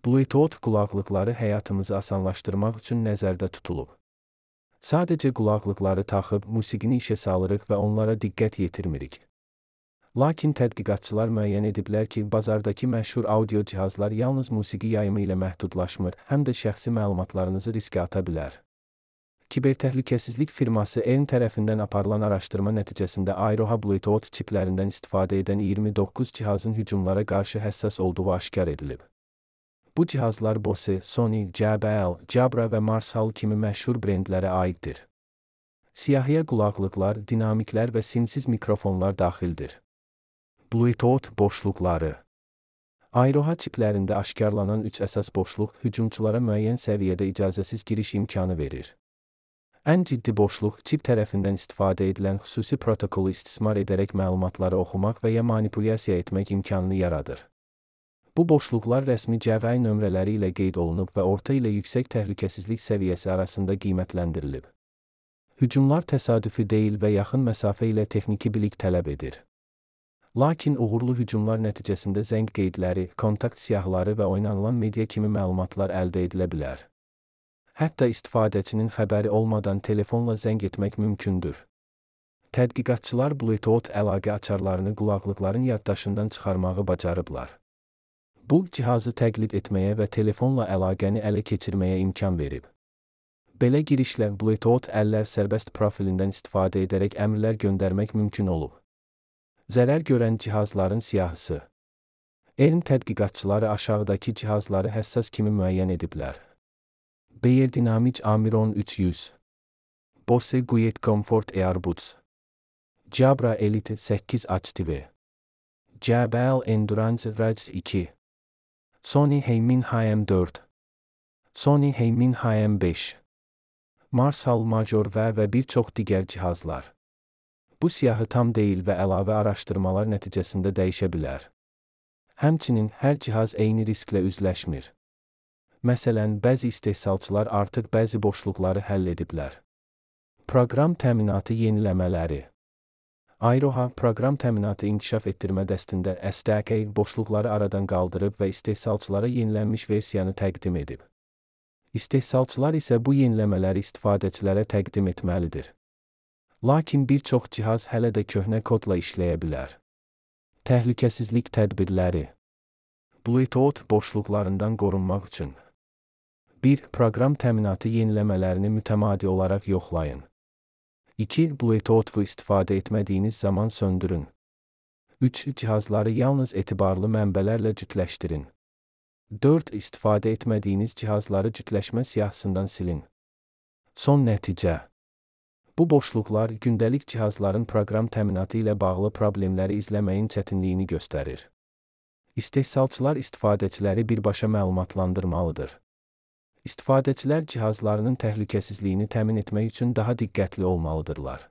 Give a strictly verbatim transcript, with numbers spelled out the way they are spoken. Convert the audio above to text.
Bluetooth qulaqlıqları həyatımızı asanlaşdırmaq üçün nəzərdə tutulub. Sadəcə qulaqlıqları taxıb musiqini işə salırıq və onlara diqqət yetirmirik. Lakin tədqiqatçılar müəyyən ediblər ki, bazardakı məşhur audio cihazlar yalnız musiqi yayımı ilə məhdudlaşmır, həm də şəxsi məlumatlarınızı riskə ata bilər. Kibertəhlükəsizlik firması ERN tərəfindən aparılan araşdırma nəticəsində Airoha Bluetooth çiplərindən istifadə edən iyirmi doqquz cihazın hücumlara qarşı həssas olduğu aşkar edilib. Bu cihazlar Bose, Sony, J B L, Jabra və Marshall kimi məşhur brendlərə aiddir. Siyahıya qulaqlıqlar, dinamiklər və simsiz mikrofonlar daxildir. Bluetooth boşluqları. Airoha çiplərində aşkarlanan üç əsas boşluq hücumçulara müəyyən səviyyədə icazəsiz giriş imkanı verir. Ən ciddi boşluq çip tərəfindən istifadə edilən xüsusi protokolu istismar edərək məlumatları oxumaq və ya manipulyasiya etmək imkanını yaradır. Bu boşluqlar rəsmi C V I nömrələri ilə qeyd olunub və orta ilə yüksək təhlükəsizlik səviyyəsi arasında qiymətləndirilib. Hücumlar təsadüfi deyil və yaxın məsafə ilə texniki bilik tələb edir. Lakin uğurlu hücumlar nəticəsində zəng qeydləri, kontakt siyahıları və oynanılan media kimi məlumatlar əldə edilə bilər. Hətta istifadəçinin xəbəri olmadan telefonla zəng etmək mümkündür. Tədqiqatçılar Bluetooth əlaqə açarlarını qulaqlıqların yaddaşından çıxarmağı bacarıblar. Bu, cihazı təqlid etməyə və telefonla əlaqəni ələ keçirməyə imkan verib. Belə girişlə Bluetooth əllər sərbəst profilindən istifadə edərək əmrlər göndərmək mümkün olub. Zərər görən cihazların siyahısı. ERN tədqiqatçıları aşağıdakı cihazları həssas kimi müəyyən ediblər. Beyerdynamic Amiron üç yüz, Bose Quiet Comfort Earbuds, Jabra Elite səkkiz Active, J B L Endurance Rage iki, Sony Heimin H M dörd, Sony Heimin H M beş, Marshall Major V və bir çox digər cihazlar. Bu siyahı tam deyil və əlavə araşdırmalar nəticəsində dəyişə bilər. Həmçinin hər cihaz eyni risklə üzləşmir. Məsələn, bəzi istehsalçılar artıq bəzi boşluqları həll ediblər. Proqram təminatı yeniləmələri. Airoha proqram təminatı inkişaf etdirmə dəstində S D K boşluqları aradan qaldırıb və istehsalçılara yenilənmiş versiyanı təqdim edib. İstehsalçılar isə bu yeniləmələri istifadəçilərə təqdim etməlidir. Lakin bir çox cihaz hələ də köhnə kodla işləyə bilər. Təhlükəsizlik tədbirləri. Bluetooth boşluqlarından qorunmaq üçün. bir Proqram təminatı yeniləmələrini mütəmadi olaraq yoxlayın. iki Bluetooth-u istifadə etmədiyiniz zaman söndürün. üç Cihazları yalnız etibarlı mənbələrlə cütləşdirin. dörd İstifadə etmədiyiniz cihazları cütləşmə siyahısından silin. Son nəticə. Bu boşluqlar gündəlik cihazların proqram təminatı ilə bağlı problemləri izləməyin çətinliyini göstərir. İstehsalçılar istifadəçiləri birbaşa məlumatlandırmalıdır. İstifadəçilər cihazlarının təhlükəsizliyini təmin etmək üçün daha diqqətli olmalıdırlar.